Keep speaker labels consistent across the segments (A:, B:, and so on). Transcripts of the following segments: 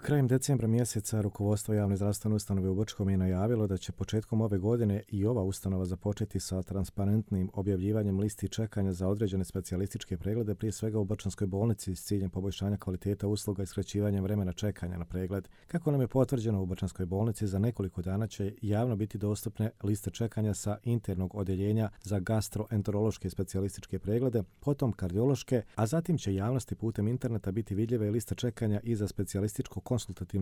A: Krajem decembra mjeseca rukovodstvo javne zdravstvene ustanove u Brčkom je najavilo da će početkom ove godine i ova ustanova započeti sa transparentnim objavljivanjem listi čekanja za određene specijalističke preglede, prije svega u Brčanskoj bolnici s ciljem poboljšanja kvaliteta usluga i skraćivanja vremena čekanja na pregled. Kako nam je potvrđeno, u Brčanskoj bolnici za nekoliko dana će javno biti dostupne liste čekanja sa internog odjeljenja za gastroenterološke specijalističke preglede, potom kardiološke, a zatim će javnosti putem interneta biti vidljive liste čekanja i za specijalističko-konsultativne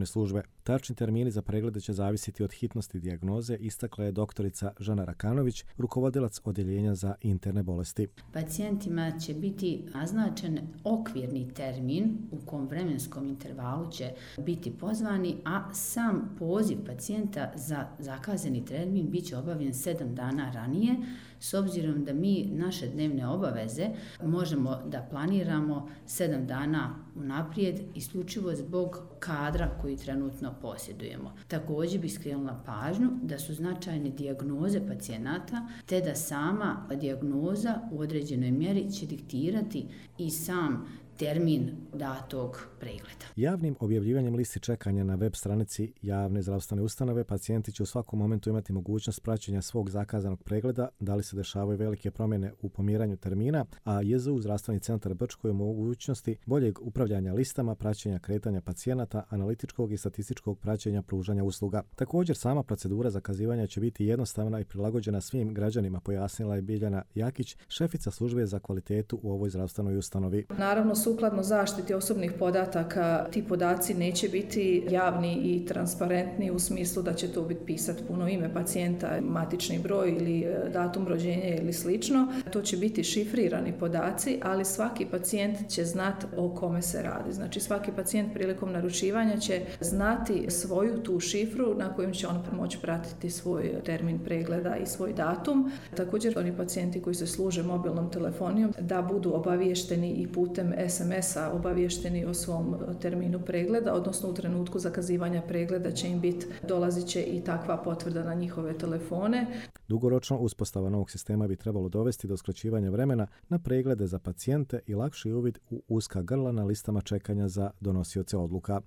A: službe. Tačni termini za preglede će zavisiti od hitnosti dijagnoze, istakla je doktorica Žana Rakanović, rukovodilac odjeljenja za interne bolesti.
B: Pacijentima će biti naznačen okvirni termin u kom vremenskom intervalu će biti pozvani, a sam poziv pacijenta za zakazani termin bit će obavljen 7 dana ranije, s obzirom da mi naše dnevne obaveze možemo da planiramo 7 dana unaprijed, isključivo zbog kadra koji trenutno posjedujemo. Također bi skrenula pažnju da su značajne dijagnoze pacijenata, te da sama dijagnoza u određenoj mjeri će diktirati i sam termin datog pregleda.
A: Javnim objavljivanjem listi čekanja na web stranici javne zdravstvene ustanove pacijenti će u svakom momentu imati mogućnost praćenja svog zakazanog pregleda, da li se dešavaju velike promjene u pomiranju termina, a JZU zdravstveni centar Brčko je u mogućnosti boljeg upravljanja listama, praćenja kretanja pacijenata, analitičkog i statističkog praćenja pružanja usluga. Također, sama procedura zakazivanja će biti jednostavna i prilagođena svim građanima, pojasnila je Biljana Jakić, šefica službe za kvalitetu u ovoj zdravstvenoj ustanovi.
C: Naravno, sukladno zaštiti osobnih podataka, ti podaci neće biti javni i transparentni u smislu da će to biti pisati puno ime pacijenta, matični broj ili datum rođenja ili slično. To će biti šifrirani podaci, ali svaki pacijent će znati o kome se radi. Znači, svaki pacijent prilikom naručivanja će znati svoju tu šifru na kojem će on moći pratiti svoj termin pregleda i svoj datum. Također, oni pacijenti koji se služe mobilnom telefonijom da budu obaviješteni i putem SMS-a obavješteni o svom terminu pregleda, odnosno u trenutku zakazivanja pregleda će im biti, dolazit će i takva potvrda na njihove telefone.
A: Dugoročno, uspostava novog sistema bi trebalo dovesti do skraćivanja vremena na preglede za pacijente i lakši uvid u uska grla na listama čekanja za donosioce odluka.